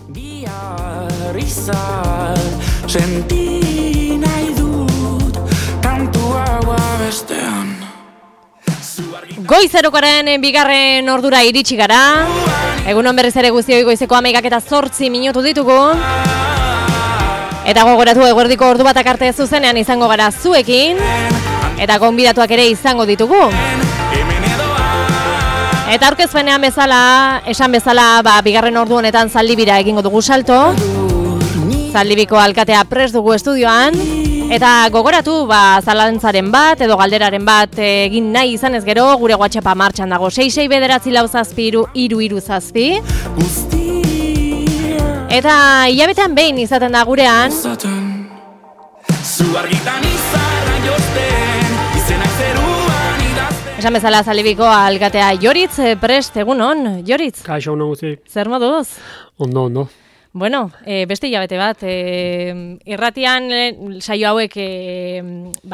Bihar izan senti nahi dut kantu hau bestean. Goizerokaren bigarren ordura iritsi gara. Egunon berriz ere guztioi goizeko 11:08 ditugu. Eta gogoratu eguerdiko ordu batak arte zuzenean izango gara zuekin. Eta gonbidatuak ere izango ditugu. Eta aurkezpenean bezala, esan bezala, bigarren ordu honetan Zaldibira egingo dugu salto. Zaldibiko alkatea prest dugu estudioan. Eta gogoratu, zalantzaren bat edo galderaren bat egin nahi izan ez gero, gure WhatsAppa martxan dago 6694337 Eta hilabetean behin izaten da gurean. Esan bezala Zaldibiko alkatea Joritz prest, egunon, Joritz? Kaixo, ondo guzti. Zer moduz? Ondo. Bueno, beste hilabete bat, irratian saio hauek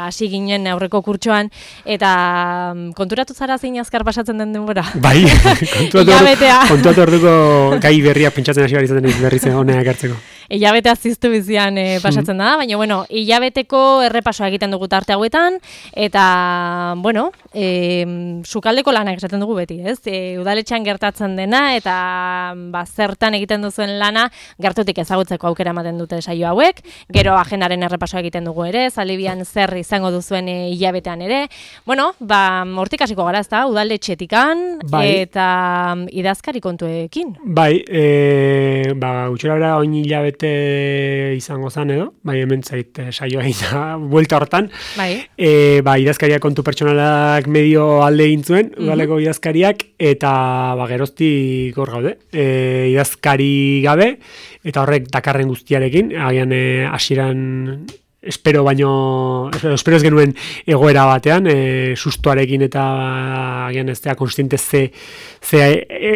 hasi ginen aurreko kurtsoan, eta konturatu zara zein azkar pasatzen den denbora? Bai, konturatu orduko gai berria pentsatzen hasi izaten berriz honeak hartzeko. Hilabetea ziztu bizian pasatzen da, baina, bueno, hilabeteko errepasoa egiten dugu tarte hauetan, eta, bueno, sukaldeko lanak esaten dugu beti, ez? Udaletxean gertatzen dena, eta zertan egiten duzuen lana, gertutik ezagutzeko aukera ematen dute saio hauek, gero agendaren errepasoa egiten dugu ere, Zaldibian zer izango duzuen hilabetean ere. Bueno, hortik hasiko gara, ezta, udaletxetikan, eta idazkari kontuekin. Bai, gutxera oin hilabete izango zan edo, hemen zait saioa egin buelta hortan. Bai. Idazkariak kontu pertsonalak medio alde egin zuen, udaleko idazkariak, eta geroztik hor gaude. Idazkari gabe, eta horrek dakarren guztiarekin, agian hasieran espero ez genuen egoera batean, sustoarekin eta agian ez da konstiente ze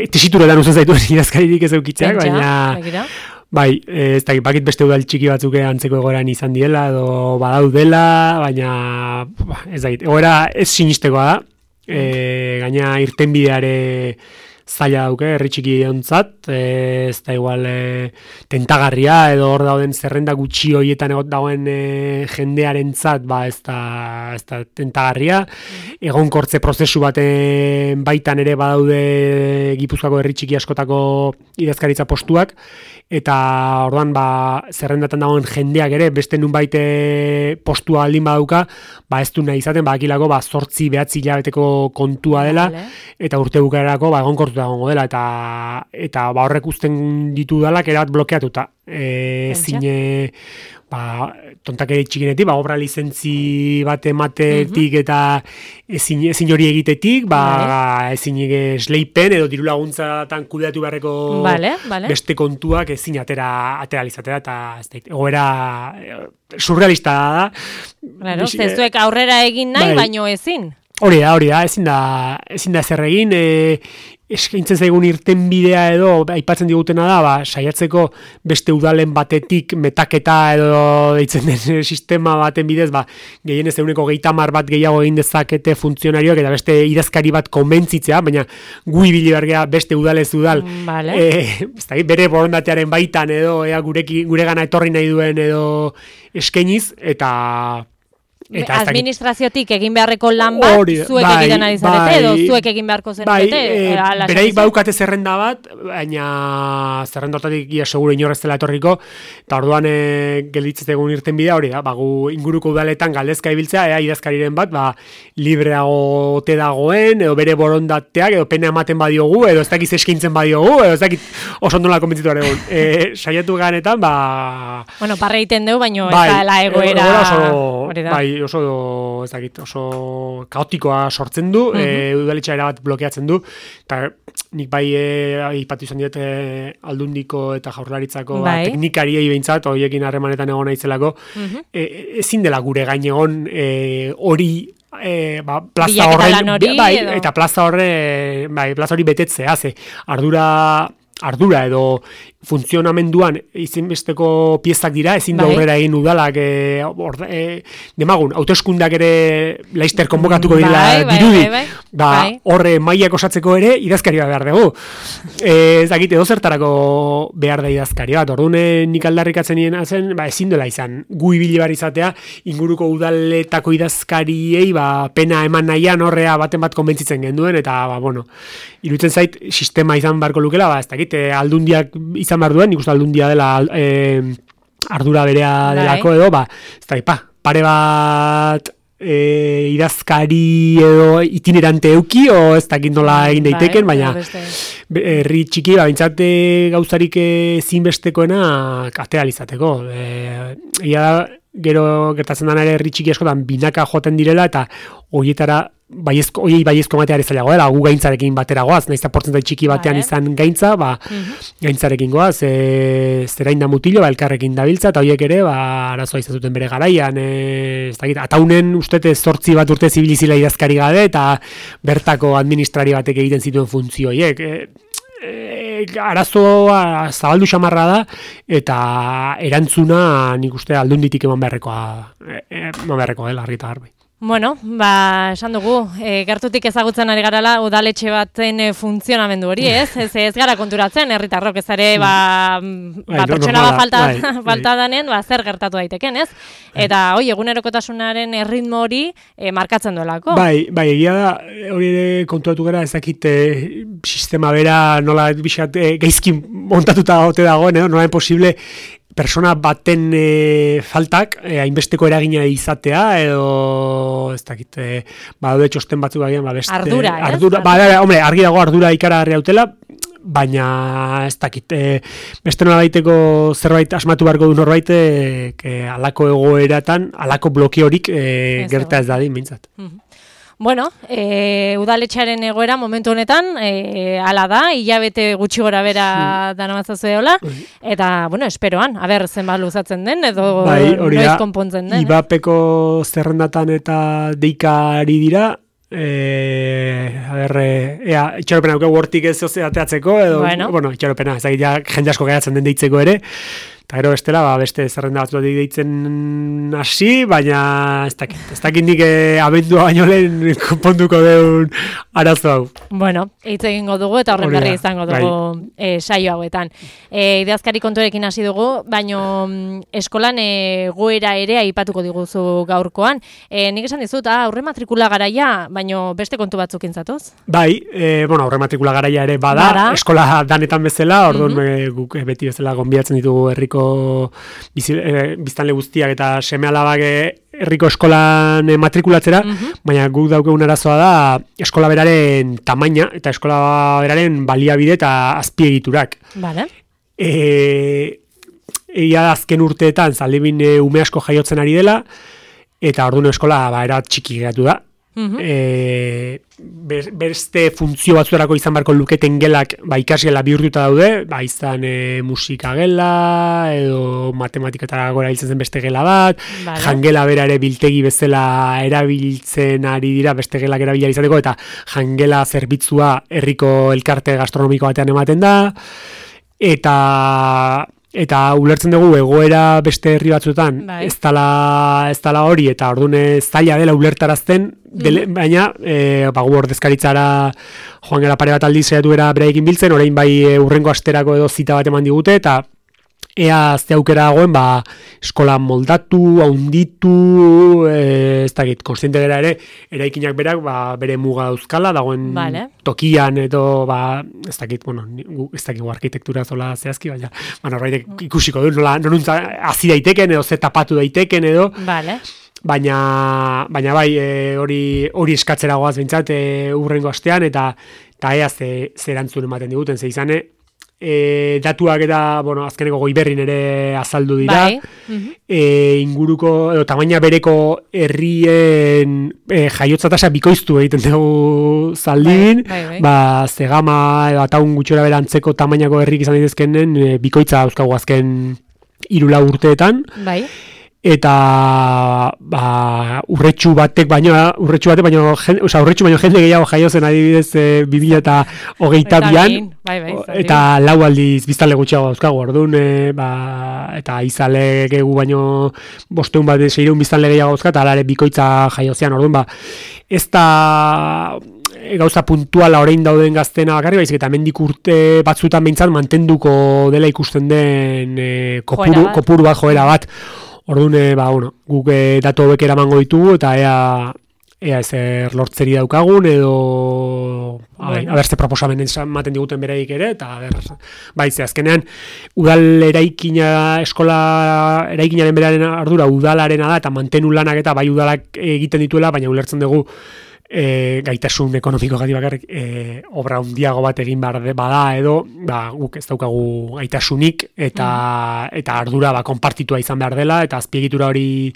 tesituretan uzen zaituen idazkaririk ez eukitzeak, baina ez dakit, bakit beste udal txiki batzuk antzeko egoeran izan diela, edo badaudela, baina ez dakit, egoera ez sinistekoa da, gaina irtenbideare zaila dauke, herri txiki ontzat, ez da igual tentagarria, edo hor dauden zerrenda gutxi horietan dagoen jendearentzat, ez da tentagarria, egonkortze prozesu baten baitan ere badaude Gipuzkoako herri txiki askotako idazkaritza postuak, eta orduan zerrendatan dagoen jendeak ere beste nunbait postua aldin badauka, ez du nahi izaten, badakilako 8-9 hilabeteko kontua dela, eta urte bukaerako egonkortuta egongo dela, eta horrek uzten ditu dalak erabat blokeatuta. Zine tontakeri txikinetik, obra lizentzi bat ematetik eta ezin hori egitetik, ezin esleipen edo diru laguntzatan kudeatu beharreko beste kontuak ezin ateralizatera, eta egoera surrealista da. Claro, zezuek aurrera egin nahi, baino ezin. Hori da, ezin da ezer egin, eskaintzen zaigun irtenbidea edo aipatzen digutena da, saiatzeko beste udalen batetik metaketa edo deitzen den sistema baten bidez, gehienez 30 bat gehiago egin dezakete funtzionarioak eta beste idazkari bat konbentzitzea, baina gu ibili bergea beste udalez udal, bere borondatearen baitan edo guregana etorri nahi duen edo eskainiz, eta administraziotik egin beharreko lan bat, zuek egiten ari zarete, edo zuek egin beharko zenukete? Bereik badukate zerrenda bat, baina zerrenda hortatik ia seguro inorrez dela etorriko, eta orduan gelditzez egun irten bidea hori da, gu inguruko udaletan galdezka ibiltzea, idazkariren bat, libreago ote dagoen, edo bere borondateak, edo pena ematen badiogu, edo ez dakiz eskaintzen badiogu, edo ez dakit oso ondola konbentzitu egon. Saiatu ganetan, Bueno, parre egiten dugu, baina ez da egoera... oso kaotikoa sortzen du, udaletxa erabat blokeatzen du, eta nik ipatu izan diet Aldundiko eta Jaurlaritzako teknikariei behintzat, horiekin harremanetan egon naizelako, ezin dela gure gain egon hori plaza horren, eta plaza hori betetzea, ardura edo funtzionamenduan izinbesteko piezak dira, ezin da aurrera egin udalak demagun, hauteskundeak ere laister konbokatuko dira dirudi, horre mailak osatzeko ere idazkari bat behar dugu. Ez dakit, edo zertarako behar da idazkari bat, orduan nik aldarrikatzen nien zen, ezin dela izan, gu ibili bar izatea, inguruko udaletako idazkariei, pena eman nahian horrea baten bat konbentzitzen genduen, eta, bueno, iruditzen zait, sistema izan barko lukela, ez dakit, aldundiak izan behar duen, nik uste aldundia dela ardura berea delako edo, ez da, pare bat idazkari edo itinerante euki, o ez dakit nola egin daiteken, baina herri txiki, bintzat gauzarik zinbestekoena atealizateko. Gero gertatzen dana ere herri txiki askotan binaka joaten direla, eta horietara baiezko mateari zailago dela, gu gaintzarekin batera goaz, nahiz eta portzentai txiki batean izan gaintza, gaintzarekin goaz, zerain da mutilo, elkarrekin dabiltza, eta horiek ere, arazoa izazuten bere garaian, ez dakit, ataunen ustete 8 bat urte zibilizila idazkari gabe, eta bertako administrari batek egiten zituen funtzio horiek, arazoa zabaldu xamarra da, eta erantzuna nik uste aldunditik eman beharrekoa dela, argi eta garbi. Bueno, esan dugu, gertutik ezagutzen ari garala udaletxe baten funtzionamendu hori, ez? Ez gara konturatzen, herritarrok ez ere, pertsona falta danen, zer gertatu daiteken, ez? Eta, egunerokotasunaren erritmo hori markatzen duelako. Egia da, hori ere konturatu gara, ezakit sistema bera nola gaizki montatuta ote dagoen, nola posible persona baten faltak hainbesteko eragina izatea, edo ez dakit, daude txosten batzuk agian, beste... Ardura, hombre, argi dago ardura ikaragarri hautela, baina ez dakit, beste nola baiteko zerbait asmatu beharko du norbait, alako egoeratan, alako blokeorik gerta ez dadin, mintzat. Bueno, udaletxearen egoera momentu honetan, ala da, hilabete gutxi gora bera danamatzazu eola, eta, esperoan, zenbat luzatzen den, edo noiz konpontzen den. IBAPeko zerrendatan eta deikari dira, itxaropena duke hortik ez ateatzeko, edo, itxaropena, jende asko geratzen den deitzeko ere, eta gero bestela, beste zerrenda batzuetik deitzen hasi, baina ez dakit nik abendua baino lehen konponduko deun arazo hau. Bueno, hitz egingo dugu eta horren berri izango dugu saio hauetan. Idazkari konturekin hasi dugu, baino eskolan goera ere aipatuko diguzu gaurkoan. Nik esan dizut, aurre matrikula garaia, baino beste kontu batzuk intzatoz? Aurre matrikula garaia ere bada, eskola danetan bezala, orduan guk beti bezala gonbidatzen ditugu herriko biztanle guztiak eta seme-alabak herriko eskolan matrikulatzera, baina guk daukegun arazoa da eskola beraren tamaina eta eskola beraren baliabide eta azpiegiturak. Vale. Egia azken urteetan zaldibin ume asko jaiotzen ari dela, eta orduan eskola era txiki geratu da. Beste funtzio batzuerako izan barko luketen gelak ikasgela bihurtuta daude, izan musika gela edo matematiketara gora hiltzen zen beste gela bat, jangela bera ere biltegi bezala erabiltzen ari dira beste gelak erabila izateko, eta jangela zerbitzua herriko elkarte gastronomiko batean ematen da, eta ulertzen dugu egoera beste herri batzuetan ez dala hori, eta orduan zaila dela ulertarazten, baina gu ordezkaritzara joan gara pare bat aldiz saiatu era beraiekin biltzen, orain urrengo asterako edo zita bat eman digute, eta ea ze aukera dagoen eskola moldatu, haunditu, ez dakit, konstiente gara ere, eraikinak berak bere muga dauzkala, dagoen tokian edo, ez dakit, ez dakit arkitektura zola zehazki, baina norbaitek ikusiko du, noruntza hazi daiteken edo ze tapatu daiteken edo, baina hori eskatzera goaz bintzat urrengo astean, eta ea ze erantzun ematen diguten, ze izane, datuak eta azkeneko Goiberrin ere azaldu dira, inguruko edo tamaina bereko herrien jaiotza tasa bikoiztu egiten dugu Zaldibin, Zegama edo Ataun gutxora bera antzeko tamainako herrik izan daitezkenen bikoitza dauzkagu azken 3-4 urteetan, eta urretxu batek baino jende gehiago jaio zen adibidez 2022an eta lau aldiz biztanle gutxiago dauzkagu orduan eta izale gegu baino 500 bat 600 biztanle gehiago dauzka eta alare bikoitza jaio zean orduan ez da gauza puntuala orain dauden gaztena bakarri, baizik eta hemendik urte batzutan behintzat mantenduko dela ikusten den kopuru bat, joera bat. Orduan, guk datu hobek eramango ditugu eta ea ezer lortzeri daukagun edo abertze proposamen ematen diguten beraik ere eta azkenean udal eskola eraikinaren beraren ardura udalarena da eta mantenu lanak eta bai udalak egiten dituela, baina ulertzen dugu gaitasun ekonomiko gati bakarrik obra handiago bat egin bada edo guk ez daukagu gaitasunik eta ardura konpartitua izan behar dela eta azpiegitura hori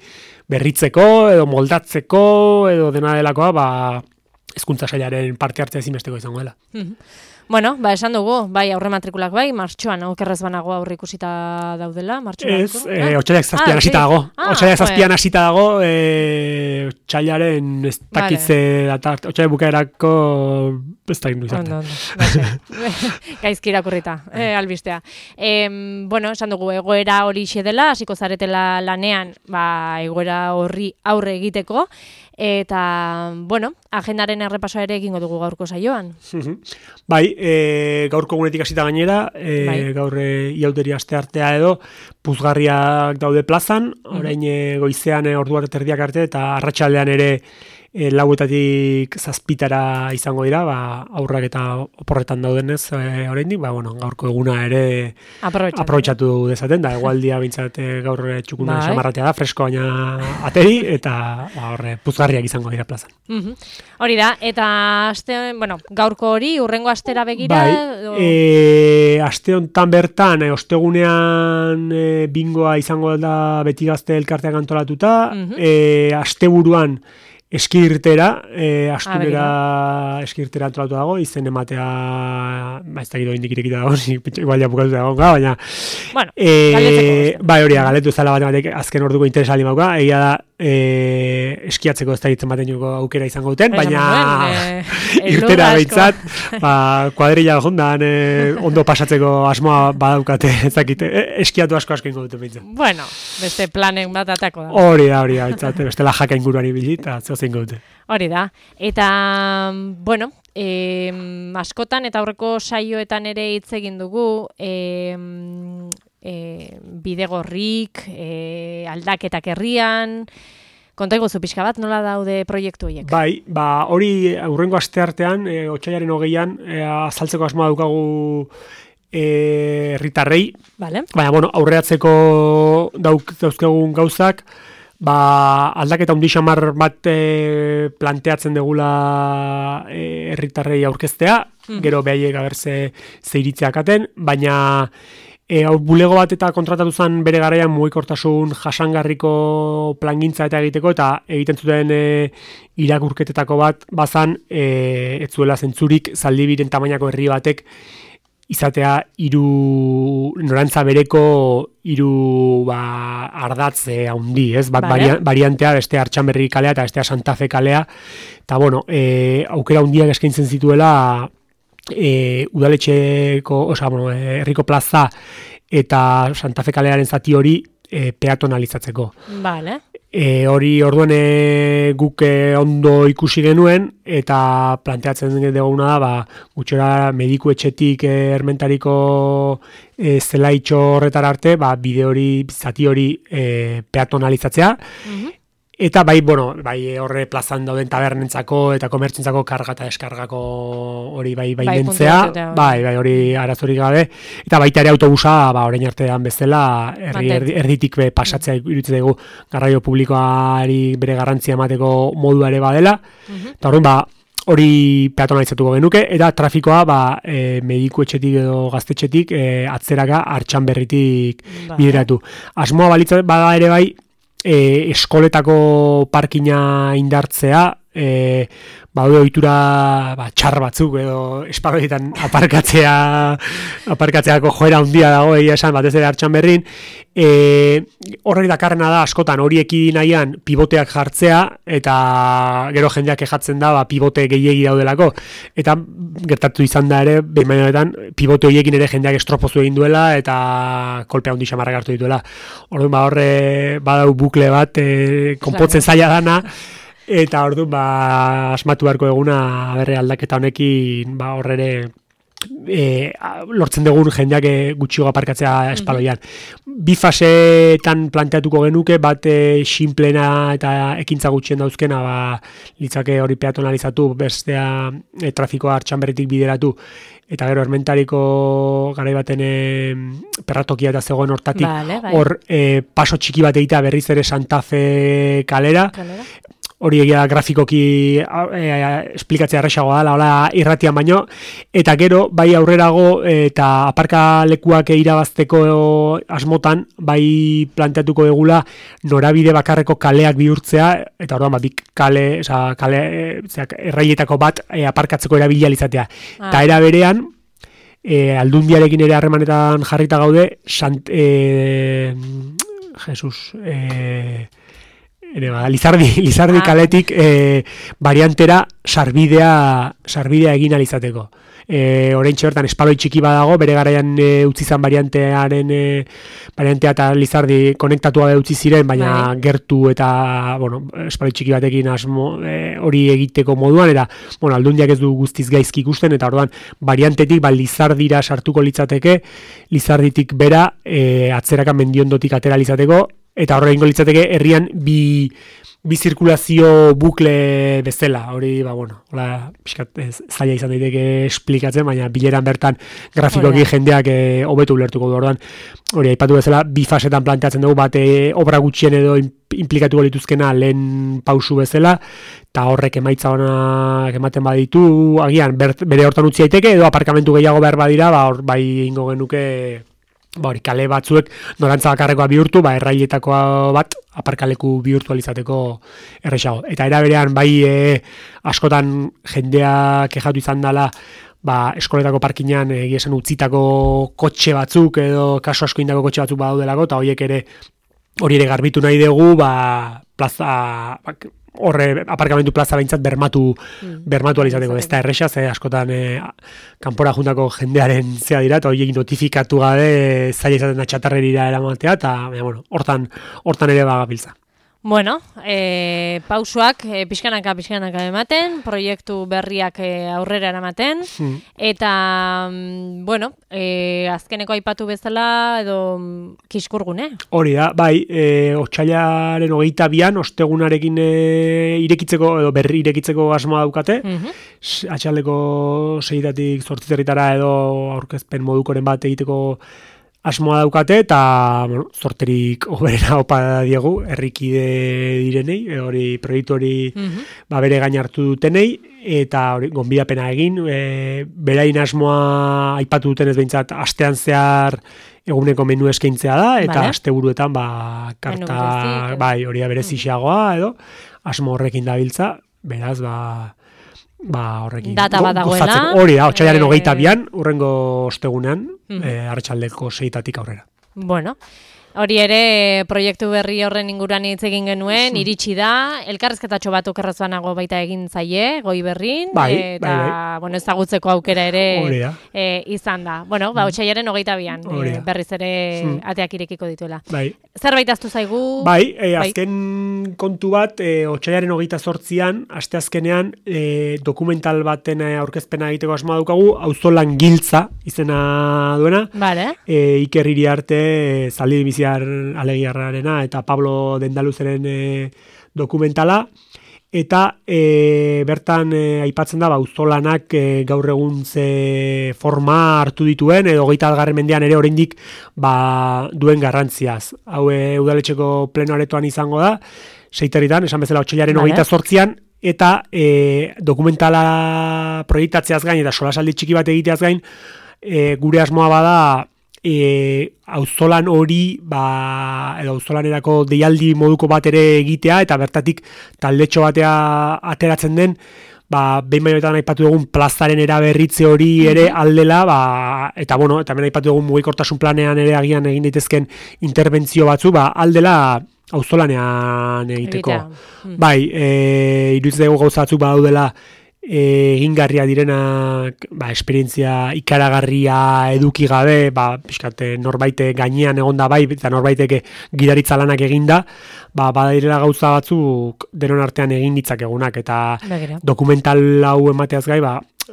berritzeko edo moldatzeko edo dena delakoa hezkuntza sailaren parte hartzea ezinbesteko izango dela. Bueno, esan dugu, bai aurre matrikulak martxoan, okerrez banago aurre ikusita daudela, martxoan. Ez, otsailak zazpian hasita dago. Otsailak zazpian hasita dago, otsailaren ez dakitze datart, otsailak bukaerako ez da gindu izarte. Gaizki irakurrita, albistea. Esan dugu, egoera hori dela, hasiko zaretela lanean, egoera horri aurre egiteko, eta, agendaren errepasoa ere egingo dugu gaurko saioan. Bai, gaurko egunetik hasita gainera, gaur iauteri asteartea edo, puzgarriak daude plazan, orain goizean ordu bat erdiak arte, eta arratsaldean ere lauetatik zazpitara izango dira, aurrak eta oporretan daudenez oraindik, gaurko eguna ere aprobetxatu dezaten, da egualdia bintzat gaur txukuna xamarratea da, fresko baina ateri, eta puzgarriak izango dira plazan. Hori da, eta gaurko hori, urrengo astera begira? Aste hontan bertan, ostegunean bingoa izango da beti gazte elkarteak antolatuta, asteburuan eskirtera, astunera eskirtera antolatu dago, izen ematea, ez da gido indik irekita dago, igual ja bukatu dago, baina... galetu ezala batek azken orduko interesa aldi mauka, egia da, eskiatzeko ez da gitzen baten juko aukera izango duten, baina irtera behitzat, kuadrilla jondan, ondo pasatzeko asmoa badaukate, ez dakite, eskiatu asko ingo duten behitzen. Bueno, beste planen bat atako da. Hori da, beste la jaka inguruari bilita, hori da, eta askotan eta aurreko saioetan ere hitz egin dugu bidegorrik, aldaketak herrian, konta iguzu pixka bat, nola daude proiektu horiek? Bai, hori aurrengo asteartean, otsailaren 20an, azaltzeko asmoa daukagu herritarrei, baina aurreatzeko dauzkegun gauzak, aldaketa handi xamar bat planteatzen degula herritarrei aurkeztea, gero behaiek abertze zeiritzeak aten, baina bulego bat eta kontratatu zen bere garaian mugikortasun jasangarriko plangintza eta egiteko, eta egiten zuten irakurketetako bat bazan, ez zuela zentzurik Zaldibiren tamainako herri batek izatea norantza bereko ardatze handi, ez? Bat variantea, beste Artxanberri kalea eta beste Santa Fe kalea, eta aukera handiak eskaintzen zituela udaletxeko, herriko plaza eta Santa Fe kalearen zati hori peatonalizatzeko. Vale. Hori orduan guk ondo ikusi genuen eta planteatzen duguna da gutxora mediku etxetik ermentariko zelaitxo horretara arte bide hori, zati hori peatonalizatzea. Eta bai horre plazan dauden tabernentzako eta komertzientzako karga eta deskargako hori bentzea, hori arazorik gabe, eta baita ere autobusa orain artean bezala erditik pasatzea iruditzen dugu garraio publikoari bere garrantzia emateko modua ere badela, eta hori peatonalizatuko genuke, eta trafikoa mediku etxetik edo gaztetxetik atzeraka Artxanberritik bideratu. Asmoa balitza bada ere bai, eskoletako parkina indartzea, Baude ohitura txar batzuk edo espaloietan aparkatzeako joera handia dago egia esan batez ere Artxanberrin. Horrek dakarrena da askotan horieki nahian pivoteak jartzea eta gero jendeak kejatzen da pivote gehiegi daudelako eta gertatu izan da ere behin pivote horiekin ere jendeak estropozu egin duela eta kolpe handi xamarrak hartu dituela. Orduan horre badau bukle bat konpotzen zaila dana. Eta orduan asmatu beharko eguna berre aldaketa honekin horrere lortzen dugun jendeak gutxiago aparkatzea espaloian. Bi fasetan planteatuko genuke, bat sinplena eta ekintza gutxien dauzkena, litzake hori peatonalizatu, bestea trafikoa Artxanberritik bideratu, eta gero Ermentariko garai baten perratokia eta zegoen hortatik, hor paso txiki bat egitea berriz ere Santa Fe kalera. Hori egia grafikoki esplikatzea erresagoa da, hola irratian baino, eta gero bai aurrerago eta aparkalekuak irabazteko asmotan, bai planteatuko egula norabide bakarreko kaleak bihurtzea, eta orduan erraietako bat aparkatzeko erabilia izatea. Eta era berean, Aldundiarekin ere harremanetan jarrita gaude, Lizardi kaletik variantera sarbidea egin alizateko. Oraintxe bertan espaloi txiki badago, bere garaian utzi zan variantea eta Lizardi konektatua utzi ziren, baina gertu eta espaloi txiki batekin asmo hori egiteko moduan, eta Aldundiak ez du guztiz gaizki ikusten, eta orduan variantetik Lizardira sartuko litzateke, Lizarditik bera atzeraka Mendiondotik atera litzateko, eta horre ingo litzateke herrian bi zirkulazio bukle bezala, hori, zaila izan daiteke esplikatzen, baina bileran bertan grafikoki jendeak hobetu ulertuko du orduan. Hori, aipatu bezala, bi fasetan planteatzen dugu, bat obra gutxien edo implikatuko lituzkena lehen pausu bezala, eta horrek emaitza honak ematen baditu, agian, bere hortan utzi daiteke, edo aparkamentu gehiago behar badira, hor bai ingo genuke kale batzuek norantza bakarrekoa bihurtu, erraietakoa bat aparkaleku birtualizateko erresago. Eta era berean bai askotan jendea kexatu izan dela eskoletako parkinean esan utzitako kotxe batzuk edo kaso asko indako kotxe batzuk badaudelako, eta hori ere garbitu nahi dugu plaza horre aparkamentu plaza behintzat bermatu alizateko. Ez da erresa, askotan kanpora juntako jendearen zea dira, eta horiek notifikatu gabe zaila izaten da txatarrerira eramatea, eta hortan ere bagabiltza. Bueno, pausuak pixkanaka ematen, proiektu berriak aurrera eramaten, eta, azkeneko aipatu bezala edo Kiskurgune. Hori da, bai, otsailaren 22an, ostegunarekin irekitzeko, edo berri irekitzeko asmoa daukate, atxaldeko 6-tatik 8 edo aurkezpen modukoren bat egiteko asmoa daukate, eta sorterik oberena opa diegu, herrikide direnei, hori proiektu hori bere gain hartu dutenei, eta hori gonbidapena egin, berain asmoa aipatu dutenez behintzat astean zehar eguneko menu eskaintzea da, eta asteburuetan karta, hori da berezixagoa, edo asmo horrekin dabiltza, beraz, horrekin data bat dagoela. Hori da, otsailaren 22an, urrengo ostegunean, arratsaldeko 6-tatik aurrera. Bueno, hori ere proiektu berri horren inguruan hitz egin genuen, iritsi da, elkarrezketatxo bat okerrazuanago baita egin zaie, Goi Berrin, eta ezagutzeko aukera ere izan da. Bueno, otsailaren 22an, berriz ere ateak irekiko dituela. Zerbait aztu zaigu? Azken kontu bat, otsailaren 28an, asteazkenean, dokumental baten aurkezpena egiteko asmoa daukagu, Auzolan Giltza izena duena, Iker Iriarte, Zaldi Biziar Alegiarrarena eta Pablo Dendaluzeren dokumentala, eta bertan aipatzen da auzolanak gaur egun ze forma hartu dituen, edo 21. mendean ere oraindik duen garrantziaz. Hau udaletxeko pleno aretoan izango da, 6-etan, esan bezala otsailaren 28an, eta dokumentala proiektatzeaz gain, eta solasaldi txiki bat egiteaz gain, gure asmoa bada auzolan hori edo auzolanerako deialdi moduko bat ere egitea eta bertatik taldetxo batea ateratzen den behin bainoetan aipatu dugun plazaren eraberritze hori ere aldela, eta eta hemen aipatu dugun mugikortasun planean ere agian egin daitezken interbentzio batzu, aldela auzolanean egiteko. Bai, iruditzen dugu gauza batzuk badaudela egingarria direnak, esperientzia ikaragarria eduki gabe, pixkat norbaite gainean egonda eta norbaitek gidaritza lanak eginda, badirela gauza batzuk denon artean egin ditzakegunak, eta dokumental hau emateaz gai,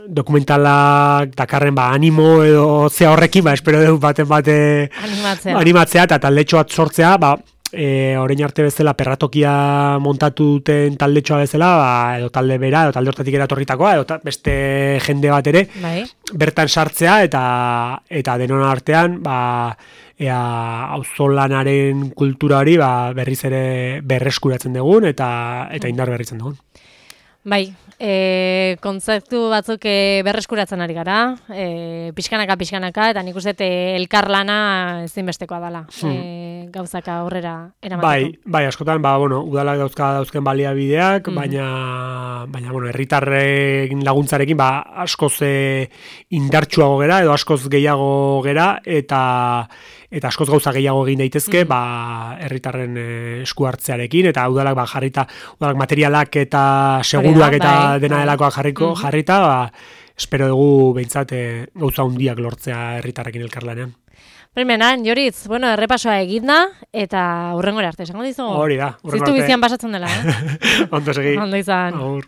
dokumentalak dakarren animo edo zea horrekin, espero dugu baten bate animatzea eta taldetxo bat sortzea, orain arte bezala perratokia montatu duten taldetxoa bezala, edo talde bera, edo talde hortatik eratorritakoa, edo beste jende bat ere, bertan sartzea eta denon artean, auzolanaren kultura hori berriz ere berreskuratzen dugun eta indar berritzen dugun. Bai, kontzeptu batzuk berreskuratzen ari gara, pixkanaka, eta nik uste elkarlana ezinbestekoa dela, gauzaka aurrera eramateko. Bai, askotan, udalak dauzken baliabideak, baina herritarren laguntzarekin askoz indartsuago gera, edo askoz gehiago gera, eta askoz gauza gehiago egin daitezke, herritarren esku hartzearekin, eta udalak jarrita, udalak materialak eta seguruak eta dena delakoak jarrita, espero dugu behintzat gauza hundiak lortzea herritarrekin elkarlanean. Primeran, Joritz, errepasoa eginda, eta hurrengora arte, esango dizu? Hori da, hurrengora arte. Ziztu bizian pasatzen dela, Ondo segi. Ondo izan. Agur.